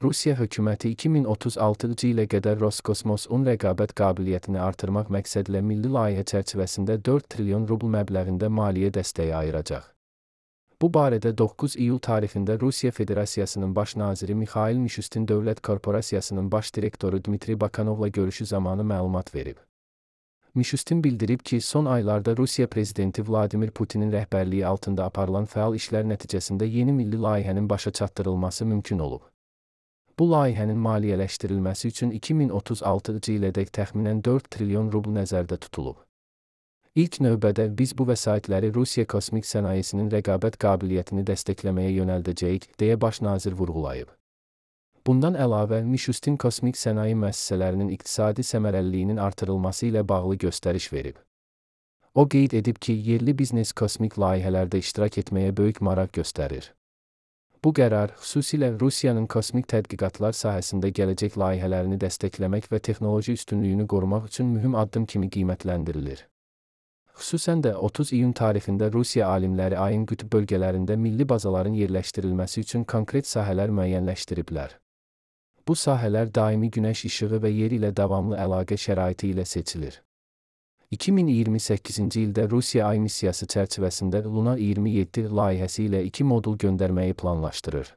Rusiya hökuməti 2036-cı ilə qədər Roskosmosun rəqabət qabiliyyətini artırmaq məqsədilə milli layihə çərçivəsində 4 trilyon rubl məbləğində maliyyə dəstəyi ayıracaq. Bu barədə 9 iyul tarixində Rusiya Federasiyasının baş naziri Mixail Mishustin Dövlət Korporasiyasının baş direktoru Dmitri Bakanovla görüşü zamanı məlumat verib. Mishustin bildirib ki, son aylarda Rusiya prezidenti Vladimir Putinin rəhbərliyi altında aparılan fəal işlər nəticəsində yeni milli layihənin başa çatdırılması mümkün olub. Bu layihənin maliyyələşdirilməsi üçün 2036-cı ilədək təxminən 4 trilyon rubl nəzərdə tutulub. İlk növbədə biz bu vəsaitləri Rusiya kosmik sənayesinin rəqabət qabiliyyətini dəstəkləməyə yönəldəcəyik, deyə baş nazir vurğulayıb. Bundan əlavə, Mishustin kosmik sənaye müəssisələrinin iqtisadi səmərəliliyinin artırılması ilə bağlı göstəriş verib. O qeyd edib ki, yerli biznes kosmik layihələrdə iştirak etməyə böyük maraq göstərir. Bu qərar, xüsusilə Rusiyanın kosmik tədqiqatlar sahəsində gələcək layihələrini dəstəkləmək və texnoloji üstünlüyünü qorumaq üçün mühüm addım kimi qiymətləndirilir. Xüsusən də 30 iyun tarixində Rusiya alimləri ayın qütb bölgələrində milli bazaların yerləşdirilməsi üçün konkret sahələr müəyyənləşdiriblər. Bu sahələr daimi günəş işığı və yer ilə davamlı əlaqə şəraiti ilə seçilir. 2028-ci ildə Rusiya Ay missiyası çərçivəsində Luna 27 layihəsi ilə 2 modul göndərməyi planlaşdırır.